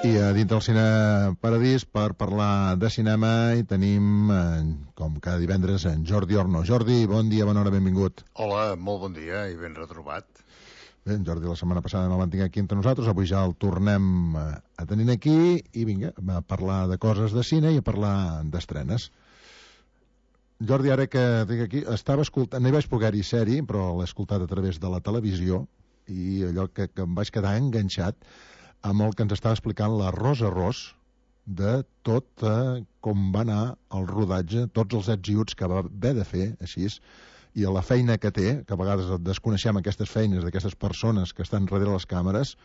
aquí a Dintre del Cine Paradís per parlar de cinema i tenim, com cada divendres, en Jordi Orno. Jordi, bon dia, bona hora, benvingut. Hola, molt bon dia i ben retrobat. Bé, en Jordi la setmana passada no el vam tenir aquí entre nosaltres, avui ja el tornem a tenir aquí i vinga, a parlar de coses de cine i a parlar d'estrenes. Jordi, ara que tinc aquí, estava escoltant, no hi vaig poder-hi ser-hi, però l'he escoltat a través de la televisió i allò que em vaig quedar enganxat amb el que ens estava explicant l'Arròs Arròs de tot com va anar el rodatge, tots els ets i uts que va haver de fer, així, i la feina que té, que a vegades desconeixem aquestes feines d'aquestes persones que estan darrere les càmeres,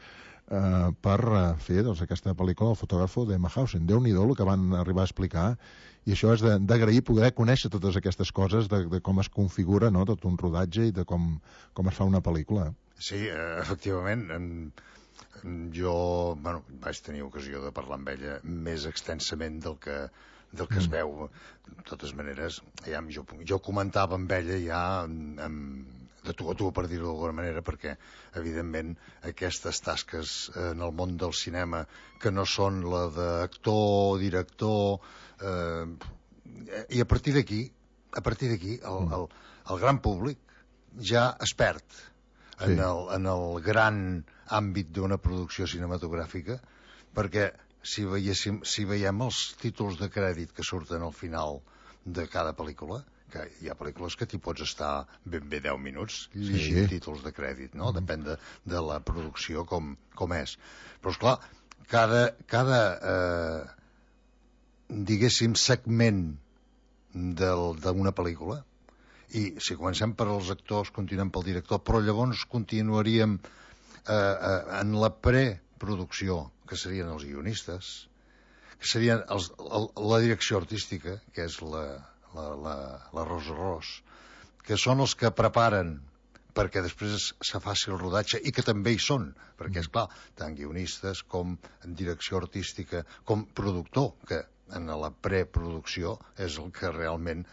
per fer aquesta pel·lícula El fotògrafo de Mahausen. Déu-n'hi-do el que van arribar a explicar, i això és d'agrair poder conèixer totes aquestes coses de com es configura, no?, tot un rodatge i de com es fa una pel·lícula. Sí, efectivament, jo vaig tenir ocasió de parlar amb ella més extensament del que es veu. De totes maneres, jo comentava amb ella ja de tu a tu, per dir-ho d'alguna manera, perquè evidentment aquestes tasques en el món del cinema que no són la d'actor, director, i a partir d'aquí el gran públic ja es perd en el gran àmbit d'una producció cinematogràfica, perquè si veiem els títols de crèdit que surten al final de cada pel·lícula, que hi ha pel·lícules que t'hi pots estar ben bé 10 minuts llegint títols de crèdit, no? Depèn de la producció com és. Però esclar, cada diguéssim segment d'una pel·lícula, i si comencem per als actors, continuem pel director, però llavors continuaríem en la preproducció, que serien els guionistes, que serien la direcció artística, que és l'Arròs Arròs, que són els que preparen perquè després se faci el rodatge, i que també hi són, perquè, esclar, tant guionistes com direcció artística, com productor, que en la preproducció és el que realment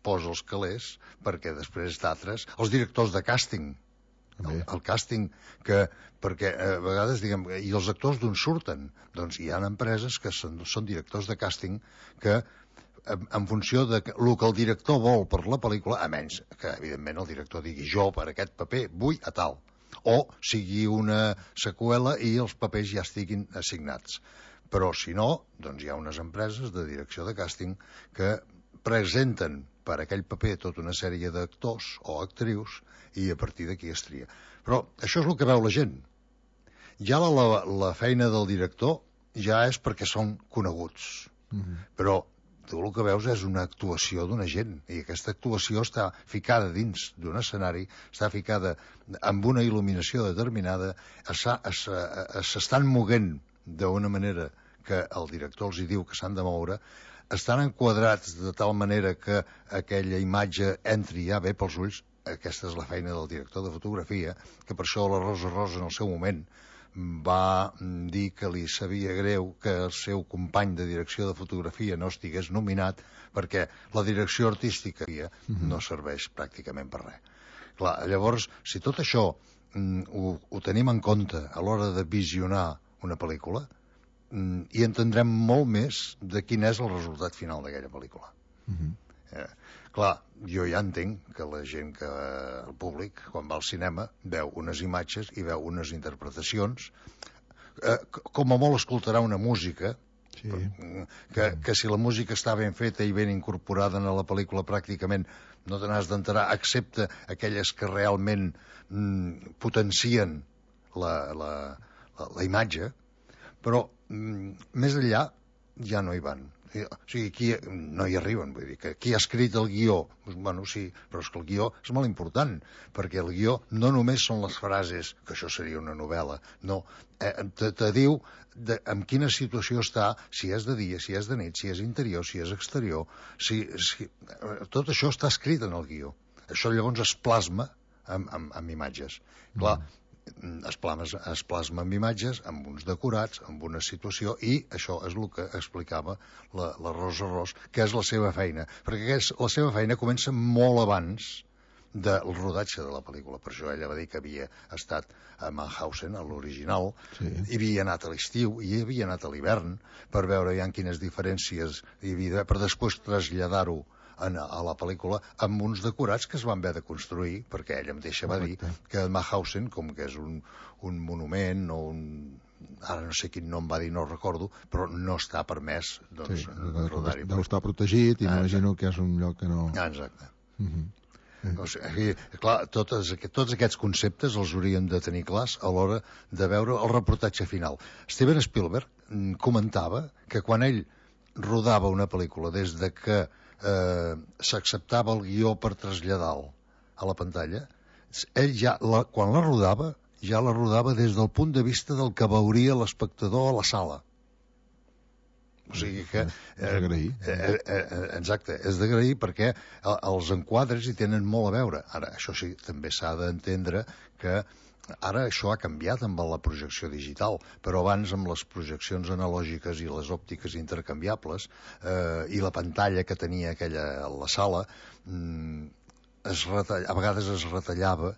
posa els calés, perquè després d'altres, els directors de càsting, el càsting, perquè a vegades diguem, i els actors d'on surten? Doncs hi ha empreses que són directors de càsting que en funció de el que el director vol per la pel·lícula, a menys que evidentment el director digui jo per aquest paper vull a tal, o sigui una seqüela i els papers ja estiguin assignats. Però si no, doncs hi ha unes empreses de direcció de càsting que presenten per aquell paper tota una sèrie d'actors o actrius i a partir d'aquí es tria. Però això és el que veu la gent. Ja la feina del director ja és perquè són coneguts. Però tu el que veus és una actuació d'una gent, i aquesta actuació està ficada dins d'un escenari, està ficada amb una il·luminació determinada, s'estan moguent d'una manera que el director els hi diu que s'han de moure, estan enquadrats de tal manera que aquella imatge entri ja bé pels ulls. Aquesta és la feina del director de fotografia, que per això l'Arròs Arròs en el seu moment va dir que li sabia greu que el seu company de direcció de fotografia no estigués nominat, perquè la direcció artística no serveix pràcticament per res. Clar, llavors, si tot això ho tenim en compte a l'hora de visionar una pel·lícula, i entendrem molt més de quin és el resultat final d'aquella pel·lícula. Clar, jo ja entenc que la gent, que el públic, quan va al cinema, veu unes imatges i veu unes interpretacions, com a molt escoltarà una música, que si la música està ben feta i ben incorporada en la pel·lícula pràcticament no te n'has d'enterar, excepte aquelles que realment potencien la imatge, però més enllà ja no hi van. O sigui, aquí no hi arriben, vull dir, que qui ha escrit el guió? Bueno, sí, però és que el guió és molt important, perquè el guió no només són les frases, que això seria una novel·la, no, te diu en quina situació està, si és de dia, si és de nit, si és interior, si és exterior, tot això està escrit en el guió. Això llavors es plasma amb imatges. Clar, es plasma amb imatges, amb uns decorats, amb una situació, i això és el que explicava l'Arròs Arròs, que és la seva feina, perquè la seva feina comença molt abans del rodatge de la pel·lícula. Per això ella va dir que havia estat a Mauthausen, a l'original, hi havia anat a l'estiu i hi havia anat a l'hivern per veure ja quines diferències hi havia, per després traslladar-ho a la pel·lícula amb uns decorats que es van haver de construir, perquè ella mateixa va dir que Mauthausen, com que és un monument o ara no sé quin nom va dir, no recordo, però no està permès rodar-hi. Deu estar protegit i m'imagino que és un lloc que no... Exacte. O sigui, clar, tots aquests conceptes els hauríem de tenir clars a l'hora de veure el reportatge final. Steven Spielberg comentava que quan ell rodava una pel·lícula, des de que s'acceptava el guió per traslladar-lo a la pantalla, ell ja, quan la rodava, ja la rodava des del punt de vista del que veuria l'espectador a la sala. O sigui que... És d'agrair. Exacte, és d'agrair perquè els enquadres hi tenen molt a veure. Ara, això sí, també s'ha d'entendre que ara això ha canviat amb la projecció digital, però abans amb les projeccions analògiques i les òptiques intercanviables i la pantalla que tenia aquella a la sala, a vegades es retallava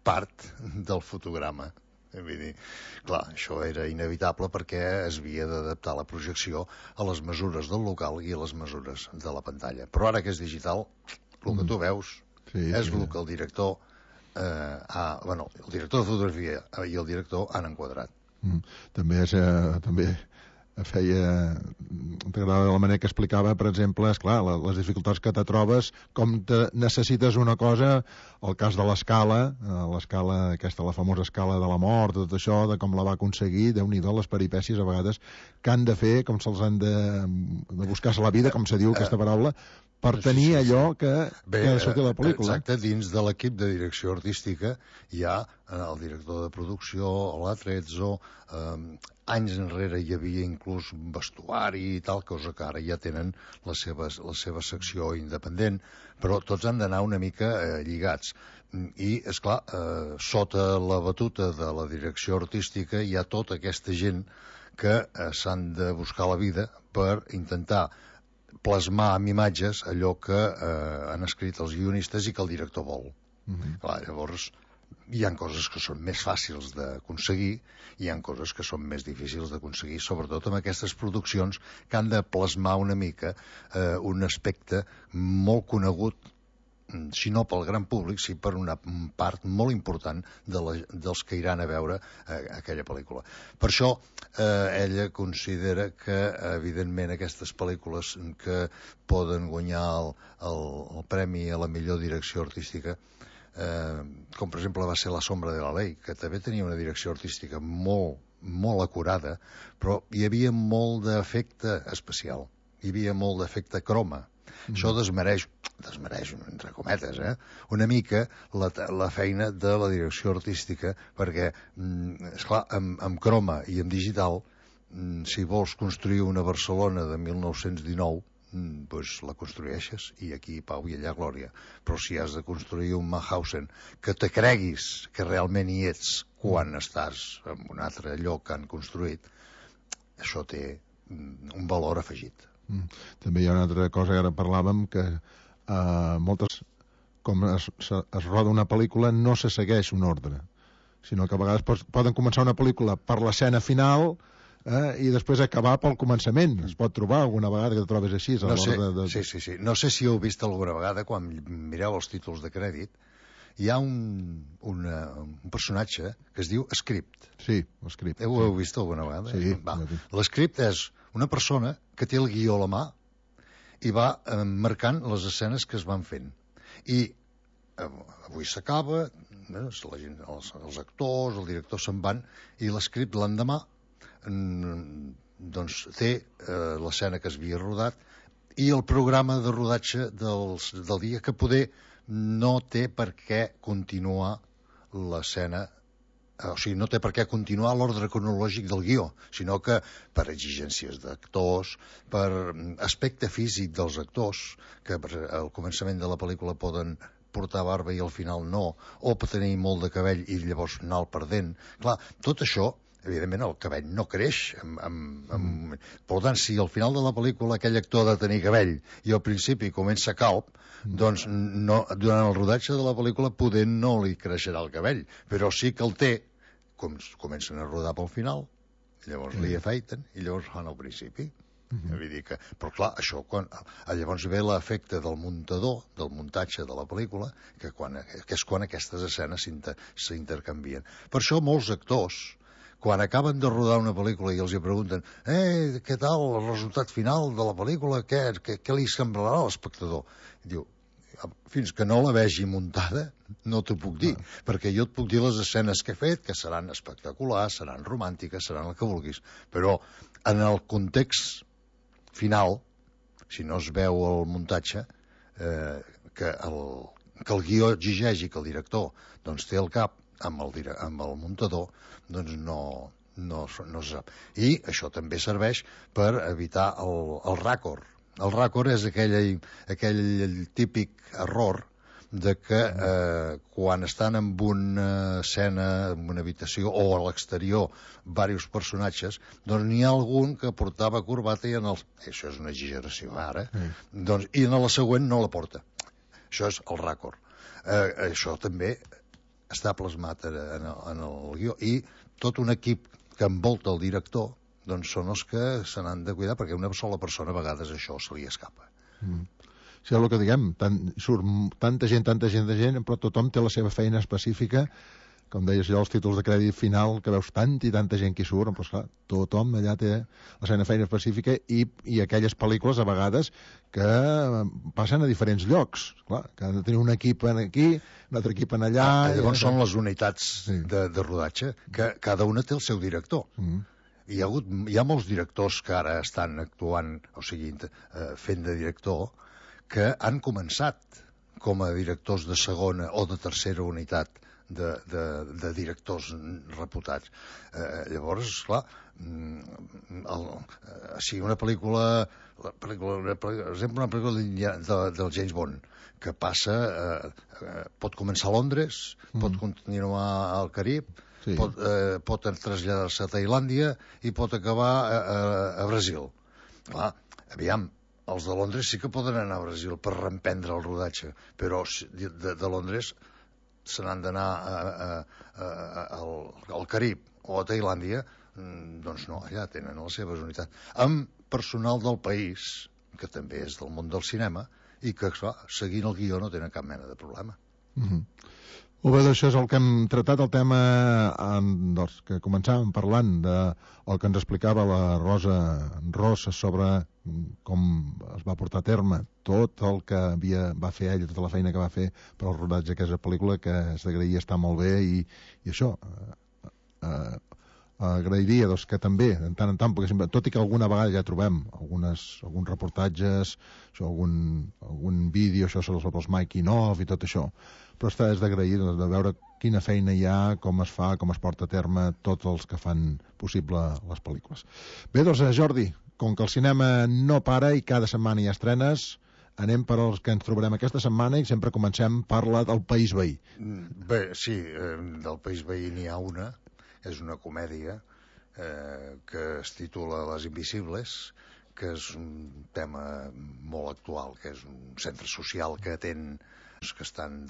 part del fotograma. Vull dir, clar, això era inevitable perquè es havia d'adaptar la projecció a les mesures del local i a les mesures de la pantalla. Però ara que és digital, el que tu veus és el que el director el director de fotografia i el director han enquadrat. També t'agradava la manera que explicava, per exemple, esclar, les dificultats que te trobes, com necessites una cosa, el cas de l'escala aquesta, la famosa escala de la mort, tot això, de com la va aconseguir, Déu-n'hi-do, les peripècies a vegades que han de fer, com se'ls han de buscar-se la vida, com se diu aquesta paraula, per tenir allò que ha de sortir a la pel·lícula. Exacte, dins de l'equip de direcció artística hi ha el director de producció, l'Atrezzo, anys enrere hi havia inclús vestuari i tal, cosa que ara ja tenen la seva secció independent, però tots han d'anar una mica lligats. I, esclar, sota la batuta de la direcció artística hi ha tota aquesta gent que s'han de buscar la vida per intentar plasmar amb imatges allò que han escrit els guionistes i que el director vol. Clar, llavors hi ha coses que són més fàcils d'aconseguir i hi ha coses que són més difícils d'aconseguir, sobretot amb aquestes produccions que han de plasmar una mica un aspecte molt conegut, si no pel gran públic, sí per una part molt important dels que iran a veure aquella pel·lícula. Per això ella considera que, evidentment, aquestes pel·lícules que poden guanyar el premi a la millor direcció artística, com per exemple va ser La sombra de la ley, que també tenia una direcció artística molt, molt acurada, però hi havia molt d'efecte especial, hi havia molt d'efecte croma. Això desmereix, entre cometes, una mica la feina de la direcció artística, perquè, esclar, amb croma i amb digital, si vols construir una Barcelona de 1919, doncs la construeixes i aquí pau i allà glòria. Però si has de construir un Mauthausen que te creguis que realment hi ets quan estàs en un altre lloc que han construït, això té un valor afegit. També hi ha una altra cosa que ara parlàvem, que moltes, com es roda una pel·lícula, no se segueix un ordre, sinó que a vegades poden començar una pel·lícula per l'escena final i després acabar pel començament. Es pot trobar alguna vegada que et trobes així. Sí. No sé si heu vist alguna vegada, quan mireu els títols de crèdit, hi ha un personatge que es diu Script. Sí, l'Script. Ho heu vist alguna vegada? Sí. L'Script és una persona que té el guió a la mà i va marcant les escenes que es van fent. I avui s'acaba, els actors, el director se'n van, i l'Script l'endemà doncs té l'escena que es havia rodat i el programa de rodatge del dia, que poder no té per què continuar l'escena, o sigui, no té per què continuar l'ordre cronològic del guió, sinó que per exigències d'actors, per aspecte físic dels actors, que al començament de la pel·lícula poden portar barba i al final no, o per tenir molt de cabell i llavors anar-el perdent. Clar, tot això evidentment el cabell no creix. Per tant, si al final de la pel·lícula aquell actor ha de tenir cabell i al principi comença calb, doncs no, durant el rodatge de la pel·lícula poder no li creixerà el cabell, però sí que el té, comencen a rodar pel final, llavors li afeiten i llavors fan al principi. Vull dir que, però clar, això llavors ve l'efecte del muntador, del muntatge de la pel·lícula, que és quan aquestes escenes s'intercanvien. Per això molts actors, quan acaben de rodar una pel·lícula i els hi pregunten què tal el resultat final de la pel·lícula, què li semblarà a l'espectador? Diu, fins que no la vegi muntada no t'ho puc dir, perquè jo et puc dir les escenes que he fet, que seran espectaculars, seran romàntiques, seran el que vulguis, però en el context final, si no es veu el muntatge, que el guió exigeix i que el director doncs, té el cap amb el muntador, doncs no se sap. I això també serveix per evitar el ràcord. El ràcord és aquell típic error de que quan estan en una escena, en una habitació o a l'exterior, diversos personatges, doncs n'hi ha algun que portava corbata i això és una exageració ara, doncs, i en la següent no la porta. Això és el ràcord. Això també està plasmat en el guió i tot un equip que envolta el director doncs són els que se n'han de cuidar, perquè una sola persona a vegades això se li escapa. Sí, és el que diguem, surt tanta gent, però tothom té la seva feina específica, com deies jo, els títols de crèdit final, que veus tanta i tanta gent que hi surt, però esclar, tothom allà té la seva feina específica i aquelles pel·lícules, a vegades, que passen a diferents llocs, clar, que han de tenir un equip aquí, un altre equip en allà... Llavors són les unitats de rodatge, que cada una té el seu director. Hi ha molts directors que ara estan actuant, o sigui, fent de director, que han començat com a directors de segona o de tercera unitat de directors reputats. Llavors, clar, si una pel·lícula, per exemple, una pel·lícula del James Bond, que passa, pot començar a Londres, pot continuar al Carib, pot traslladar-se a Tailàndia i pot acabar a Brasil. Clar, aviam, els de Londres sí que poden anar a Brasil per reemprendre el rodatge, però de Londres se n'han d'anar al Carib o a Tailàndia, doncs no, allà tenen les seves unitats. Amb personal del país, que també és del món del cinema, i que, clar, seguint el guió no tenen cap mena de problema. Molt bé, això és el que hem tractat, el tema doncs, que començàvem parlant del que ens explicava la Rosa sobre com es va portar a terme tot el que va fer ella, tota la feina que va fer per al rodatge d'aquesta pel·lícula, que és d'agrair, està molt bé, i això agrairia doncs, que també, de tant en tant, perquè sempre, tot i que alguna vegada ja trobem alguns reportatges, això, algun vídeo, això sobre els making of i tot això, però és d'agrair de veure quina feina hi ha, com es fa, com es porta a terme tots els que fan possible les pel·lícules. Bé, doncs, Jordi, com que el cinema no para i cada setmana hi ha estrenes, anem per als que ens trobarem aquesta setmana i sempre comencem per la del País Veí. Bé, sí, del País Veí n'hi ha una, és una comèdia que es titula Les Invisibles, que és un tema molt actual, que és un centre social que atén que estan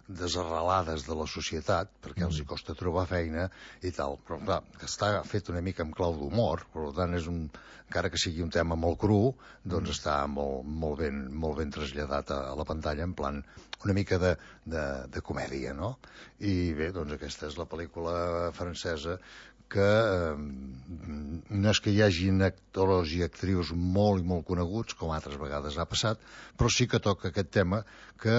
desarrelades de la societat, perquè els hi costa trobar feina i tal, però clar, està fet una mica amb clau d'humor, per tant encara que sigui un tema molt cru, doncs està molt ben traslladat a la pantalla en plan una mica de comèdia, no? I bé, doncs aquesta és la pel·lícula francesa que no és que hi hagin actors i actrius molt i molt coneguts, com altres vegades ha passat, però sí que toca aquest tema que,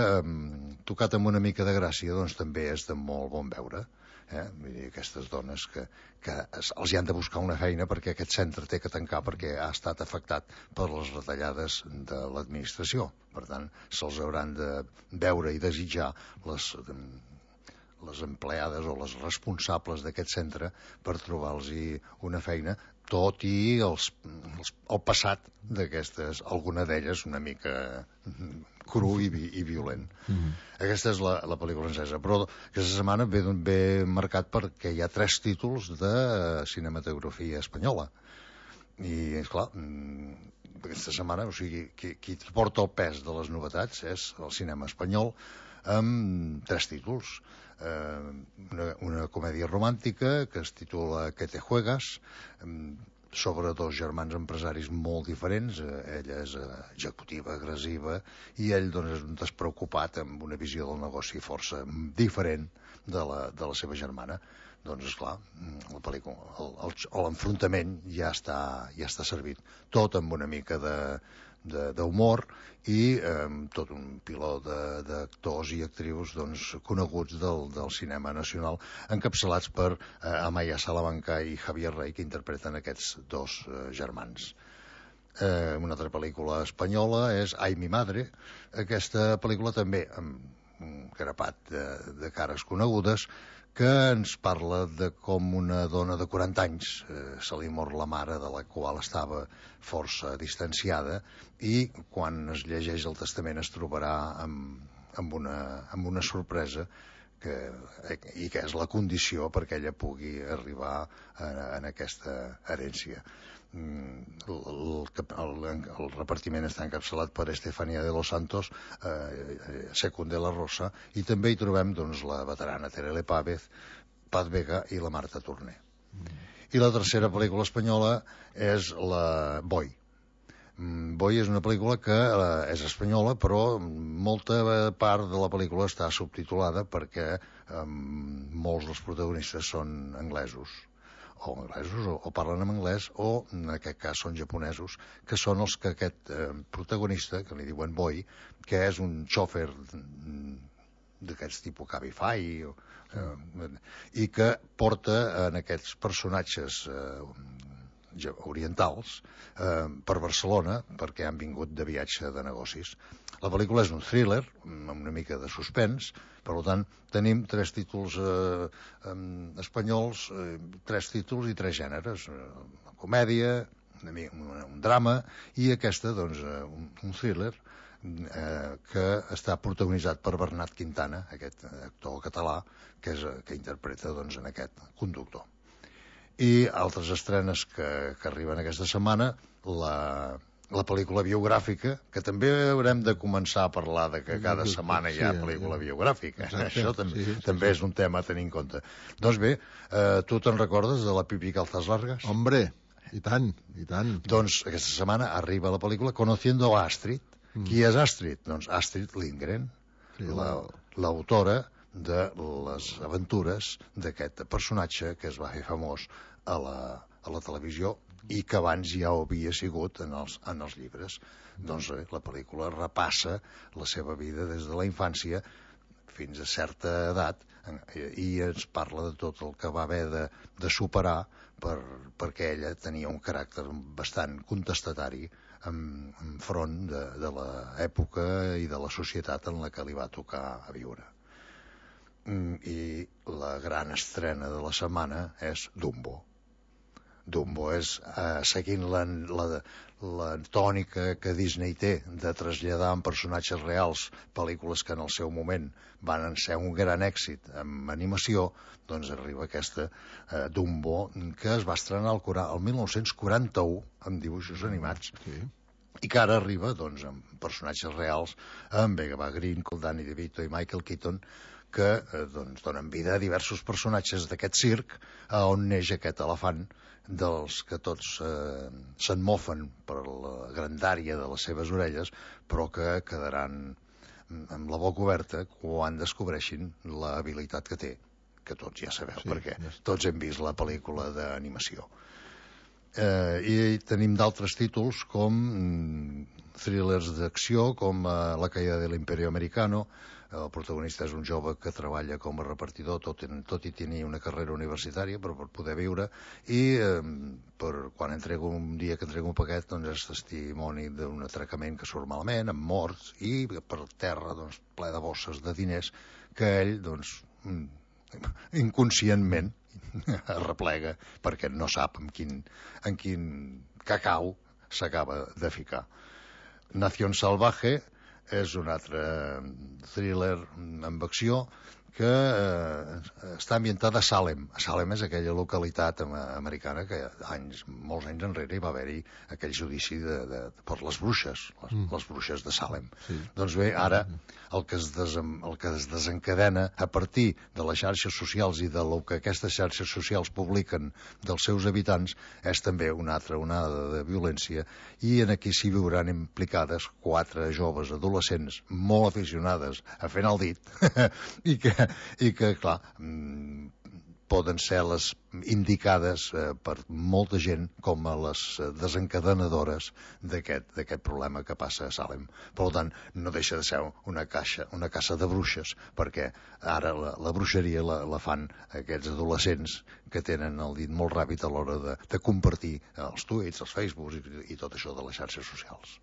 tocat amb una mica de gràcia, doncs també és de molt bon veure. Vull dir, aquestes dones que els hi han de buscar una feina perquè aquest centre té que tancar perquè ha estat afectat per les retallades de l'administració. Per tant, se'ls hauran de veure i desitjar les empleades o les responsables d'aquest centre per trobar-los una feina tot i el passat d'aquestes, alguna d'elles una mica cru i violent. Aquesta és la pel·lícula francesa, però aquesta setmana ve marcat perquè hi ha 3 títols de cinematografia espanyola. I, esclar, aquesta setmana, o sigui, qui porta el pes de les novetats és el cinema espanyol, amb 3 títols. Una comèdia romàntica que es titula ¿Qué te juegas?, sobre 2 germans empresaris molt diferents. Ella és executiva, agressiva, i ell doncs, és un despreocupat amb una visió del negoci força diferent de la seva germana. Doncs, esclar, la pel·lícula, l'enfrontament ja està servit. Tot amb una mica d'humor i tot un pilot d'actors i actrius doncs, coneguts del cinema nacional, encapçalats per Amaya Salamanca i Javier Rey, que interpreten aquests 2 germans. Una altra pel·lícula espanyola és Ay, mi madre. Aquesta pel·lícula també amb un grapat de cares conegudes, que ens parla de com una dona de 40 anys se li mor la mare, de la qual estava força distanciada, i quan es llegeix el testament es trobarà amb una sorpresa i que és la condició perquè ella pugui arribar en aquesta herència. El repartiment està encapçalat per Estefanía de los Santos, Secund de la Rosa, i també hi trobem doncs, la veterana Terele Paz Vega i la Marta Torné. I la tercera pel·lícula espanyola és la Boy. Boy és una pel·lícula que és espanyola, però molta part de la pel·lícula està subtitulada perquè molts dels protagonistes són anglesos o parlen en anglès, o en aquest cas són japonesos, que són els que aquest protagonista, que li diuen Boy, que és un xòfer d'aquests tipus Cabify, i que porta en aquests personatges orientals per Barcelona perquè han vingut de viatge de negocis. La pel·lícula és un thriller amb una mica de suspens, per tant tenim 3 títols espanyols, 3 títols i 3 gèneres: una comèdia, un drama i aquesta doncs un thriller que està protagonitzat per Bernat Quintana, aquest actor català que interpreta doncs en aquest conductor. I altres estrenes que arriben aquesta setmana, la pel·lícula biogràfica, que també haurem de començar a parlar de que cada setmana hi ha pel·lícula biogràfica. Això també és un tema a tenir en compte. Doncs bé, tu te'n recordes de la Pipi Calzas Largas? Hombre, i tant, i tant. Doncs aquesta setmana arriba la pel·lícula Conociendo a Astrid. Qui és Astrid? Doncs Astrid Lindgren, l'autora de les aventures d'aquest personatge que es va fer famós a la televisió i que abans ja ho havia sigut en els llibres. Doncs la pel·lícula repassa la seva vida des de la infància fins a certa edat i ens parla de tot el que va haver de superar perquè ella tenia un caràcter bastant contestatari enfront de l'època i de la societat en la que li va tocar a viure. I la gran estrena de la setmana és Dumbo. Dumbo és, seguint la tònica que Disney té de traslladar en personatges reals pel·lícules que en el seu moment van ser un gran èxit en animació, doncs arriba aquesta Dumbo, que es va estrenar el 1941 amb dibuixos animats, i que ara arriba doncs, amb personatges reals, amb Eva Green, Danny DeVito i Michael Keaton, que donen vida a diversos personatges d'aquest circ, on neix aquest elefant dels que tots se'n mofen per la grandària de les seves orelles, però que quedaran amb la boca oberta quan descobreixin l'habilitat que té, que tots ja sabeu, perquè tots hem vist la pel·lícula d'animació. I tenim d'altres títols com thrillers d'acció, com La caída de l'Imperio Americano. El protagonista és un jove que treballa com a repartidor, tot i tenir una carrera universitària per poder viure, i quan un dia que entrega un paquet doncs és testimoni d'un atracament que surt malament, amb morts, i per terra doncs, ple de bosses de diners que ell doncs inconscientment arreplega perquè no sap en quin cacau s'acaba de ficar. Nación Salvaje és un altre thriller amb acció que està ambientada a Salem. Salem és aquella localitat americana que molts anys enrere hi va haver-hi aquell judici per les bruixes, les bruixes de Salem. Sí. Doncs bé, ara el que es desencadena a partir de les xarxes socials i de lo que aquestes xarxes socials publiquen dels seus habitants és també una altra onada de violència, i en aquí s'hi veuran implicades 4 joves adolescents molt aficionades a fer el dit i que, clar, poden ser les indicades per molta gent com a les desencadenadores d'aquest problema que passa a Salem. Per tant, no deixa de ser una caça de bruixes, perquè ara la bruixeria la fan aquests adolescents que tenen el dit molt ràpid a l'hora de compartir els tuits, els Facebooks i tot això de les xarxes socials.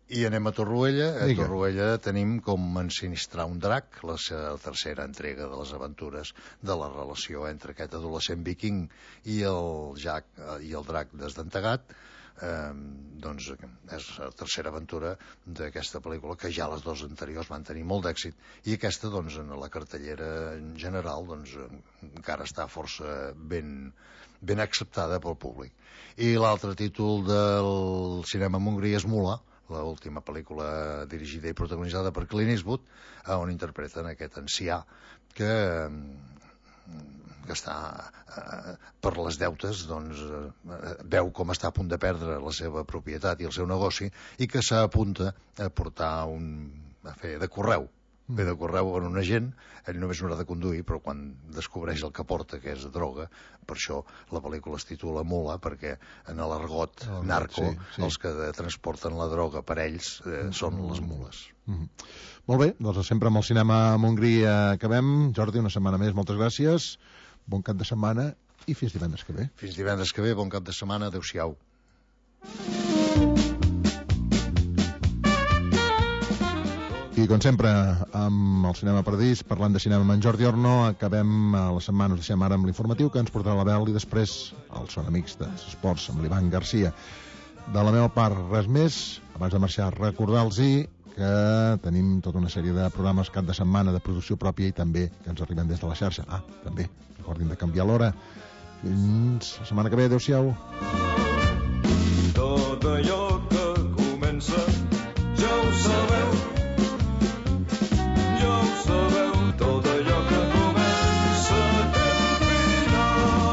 I anem a Torroella. A Torroella tenim com ensinistrar un drac, la tercera entrega de les aventures de la relació entre aquest adolescent viking i el drac desdentegat. Doncs és la tercera aventura d'aquesta pel·lícula, que ja les 2 anteriors van tenir molt d'èxit, i aquesta, doncs, en la cartellera en general, doncs, encara està força ben acceptada pel públic. I l'altre títol del cinema en Hongria és Mula, l'última pel·lícula dirigida i protagonitzada per Clint Eastwood, on interpreten aquest ancià que està per les deutes, doncs veu com està a punt de perdre la seva propietat i el seu negoci, i que s'apunta a portar a fer de correu en un agent. Ell només no ha de conduir, però quan descobreix el que porta, que és droga, per això la pel·lícula es titula Mula, perquè en l'argot narco els que transporten la droga per ells són les mules. Molt bé, doncs sempre amb el cinema a Montgrí acabem. Jordi, una setmana més, moltes gràcies, bon cap de setmana i fins divendres que ve. Fins divendres que ve, bon cap de setmana, adeu-siau. I com sempre, amb el Cinema Paradís, parlant de cinema amb en Jordi Orno, acabem la setmana, us deixem ara amb l'informatiu que ens portarà la Bel, i després els Són Amics dels Esports amb l'Ivan Garcia. De la meva part, res més. Abans de marxar, recordar-los que tenim tota una sèrie de programes cap de setmana de producció pròpia i també que ens arriben des de la xarxa. També, recordin de canviar l'hora. Fins la setmana que ve, adeu-siau.